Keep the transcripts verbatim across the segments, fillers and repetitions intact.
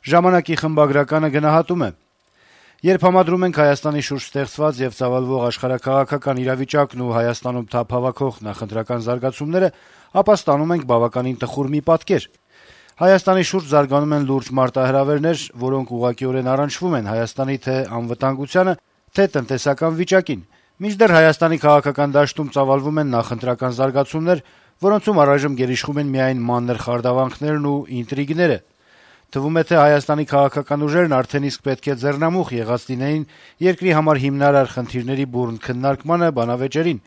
Ժամանակի խմբագրականը գնահատում է. - «Երբ համադրում ենք Հայաստանի շուրջ ստեղծված եւ ծավալվող աշխարհաքաղաքական իրավիճակն ու Հայաստանում թափ հավաքող նախընտրական զարգացումները, ապա ստանում ենք բավականին տխուր մի պատկեր: Հայաստանի շուրջ զարգանում են լուրջ մարտահրավերներ, որոնք ուղղակիորեն առնչվում են Հայաստանի թե անվտանգությանը, թե տնտեսական վիճակին, մինչդեռ Հայաստանի քաղաքական դաշտում ծավալվում են նախընտրական զարգացումներ, որոնցում առայժմ գերիշխում են միայն մանր խարդավանքներն ու ինտրիգները: Թվում է, թե Հայաստանի քաղաքական ուժերն արդեն իսկ պետք է ձեռնամուխ եղած լինեին երկրի համար հիմնարար խնդիրների բուռն քննարկմանը բանավեճերին: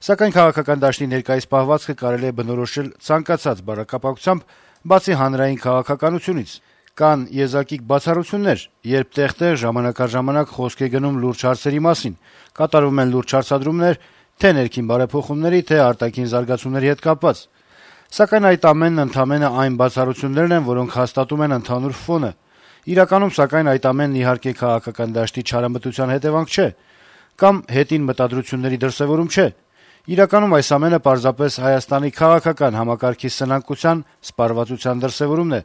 Սակայն քաղաքական դաշտի ներկայիս պահվածքը կարելի է բնորոշել ցանկացած բառակապակցությամբ, բացի հանրային քաղաքականությունից: Կան եզակի բացառություններ, երբ տեղ-տեղ, ժամանակ առ ժամանակ խոսք է գնում լուրջ հարցերի մասին, կատարվում են լուրջ հարցադրումներ թե' ներքին բարեփոխումների, թե' արտաքին զարգացումների հետ կապված: Սակայն այդ ամենն ընդամենը այն բացառություններն են, որոնք հաստատում են ընդհանուր ֆոնը: Իրականում, սակայն, այդ ամենն իհարկե քաղաքական դաշտի չարամտության հետեւանք չէ, կամ հետին մտադրությունների դրսեւորում չէ: Իրականում այս ամենը պարզապես Հայաստանի քաղաքական համակարգի սնանկության, սպառվածության դրսեւորումն է»: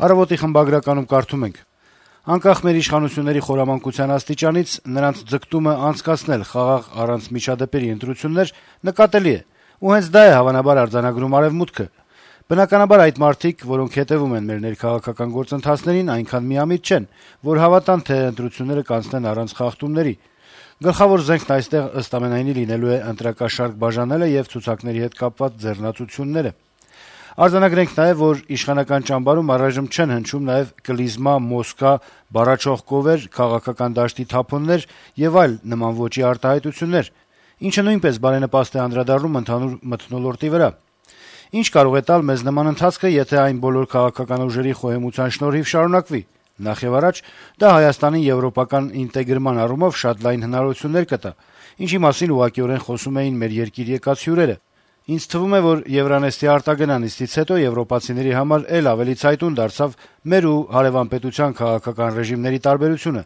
«Առավոտ»-ի խմբագրականում կարդում ենք. - «Անկախ մեր իշխանությունների խորամանկության աստիճանից, նրանց ձգտումը անցկացնել խաղաղ, առանց միջադեպերի ընտրություններ նկատելի է, ու հենց դա է հավանաբար արձանագրում Արեւմուտքը: Բնականաբար, այդ մարդիկ, որոնք հետեւում են մեր ներքաղաքական գործընթացներին, այնքան միամիտ չեն, որ հավատան, թե ընտրությունները կանցնեն առանց խախտումների: Գլխավոր զենքն այստեղ, ըստ ամենայնի, լինելու է ընտրակաշառք բաժանելը եւ ցուցակների հետ կապված ձեռնացությունները: Արձանագրենք նաեւ, որ իշխանական ճամբարում առայժմ չեն հնչում նաեւ կլիզմա, Մոսկվա, բառաչող կովեր, քաղաքական դաշտի թափոններ եւ այլ նման ոճի արտահայտություններ, ինչը նույնպես բարենպաստ է անդրադառնում ընդհանուր մթնոլորտի վրա: Ինչ կարող է տալ մեզ նման ընթացքը, եթե այն բոլոր քաղաքական ուժերի խոհեմության շնորհիվ շարունակվի: Նախեւառաջ, դա Հայաստանի եվրոպական ինտեգրման առումով շատ լայն հնարավորություններ կտա, ինչի մասին ուղղակիորեն խոսում էին մեր երկիր եկած հյուրերը: Ինձ թվում է, որ Եվրանեստի արտագնա նիստից հետո եվրոպացիների համար էլ ավելի ցայտուն դարձավ մեր ու հարեւան պետության քաղաքական ռեժիմների տարբերությունը,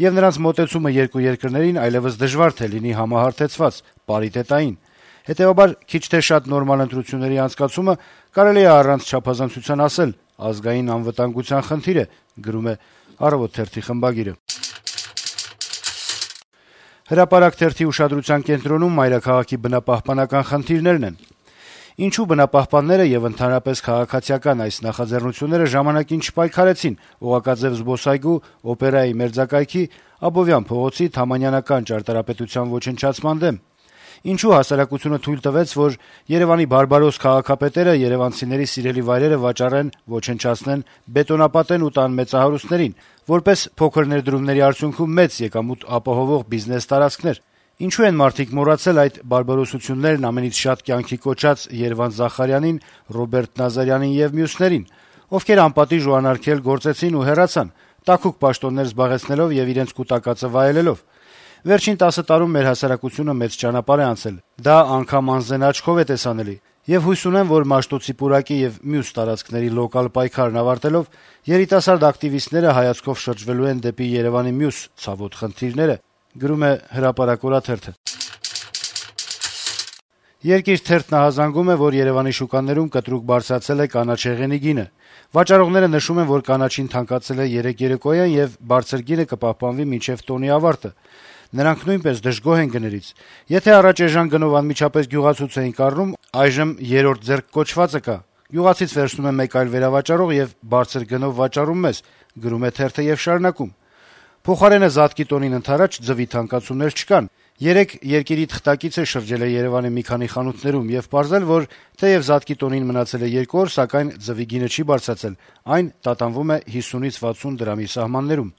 եւ նրանց մոտեցումը երկու երկրներին այլեւս դժվար թե լինի համահարթեցված, պարիտետային: Հետեւաբար, քիչ թե շատ նորմալ ընտրությունների անցկացումը կարելի է առանց չափազանցության ասել ազգային անվտանգության խնդիր է»: «Հրապարակ» թերթի ուշադրության կենտրոնում մայրաքաղաքի բնապահպանական խնդիրներն են. - «Ինչու բնապահպանները եւ ընդհանրապես քաղաքացիական այս նախաձեռնությունները ժամանակին չպայքարեցին Օղակաձեւ զբոսայգու, Օպերայի մերձակայքի, Աբովյան փողոցի, Թամանյանական ճարտարապետության ոչնչացման դեմ: Ինչու հասարակությունը թույլ տվեց, որ Երեւանի բարբարոս քաղաքապետերը երեւանցիների սիրելի վայրերը վաճառեն, ոչնչացնեն, բետոնապատեն ու տան մեծահարուստներին, որպես փոքր ներդրումների արդյունքում մեծ եկամուտ ապահովող բիզնես տարածքներ: Ինչու են մարդիկ մոռացել այդ բարբարոսություններն ամենից շատ կյանքի կոչած Երվանդ Զախարյանին, Ռոբերտ Նազարյանին եւ մյուսներին, ովքեր անպատիժ ու անարգել գործեցին ու հեռացան, տաքուկ պաշտոններ զբաղեցնելով եւ իրենց կուտակածը վայելելով: Վերջին տասը տարում մեր հասարակությունը մեծ ճանապարհ է անցել, դա անգամ անզեն աչքով է տեսանելի: Եվ հույս ունեմ, որ Մաշտոցի պուրակի եւ մյուս տարածքների լոկալ պայքարն ավարտելով, երիտասարդ ակտիվիստները հայացքով շրջվելու են դեպի Երեւանի մյուս ցավոտ խնդիրները»: «Երկիր» թերթն ահազանգում է, որ Երեւանի շուկաներում կտրուկ բարձրացել է կանաչ-հեղենի գինը: Վաճառողները նշում են, որ կանաչին թանկացել է երեկ երեկոյան եւ բարձր գինը կպահպանվի մինչեւ տոնի ավարտը: Նրանք նույնպես դժգոհ են գներից: Եթե առաջ էժան գնով անմիջապես գյուղացուց էին կառնում, այժմ երրորդ ձեռք կոչվածը կա: Գյուղացից վերցնում է մեկ այլ վերավաճառող եւ բարձր գնով վաճառում մեզ: Փոխարենը զատկի տոնին ընդառաջ ձվի թանկացումներ չկան: Երեկ «Երկիր»-ի թղթակիցը շրջել է Երեւանի մի քանի խանութներում եւ պարզել, որ թեեւ զատկի տոնին մնացել է երկու օր, սակայն ձվի գինը չի բարձրացել, այն տատանվում է հիսունից վաթսուն դրամի սահմաններում»: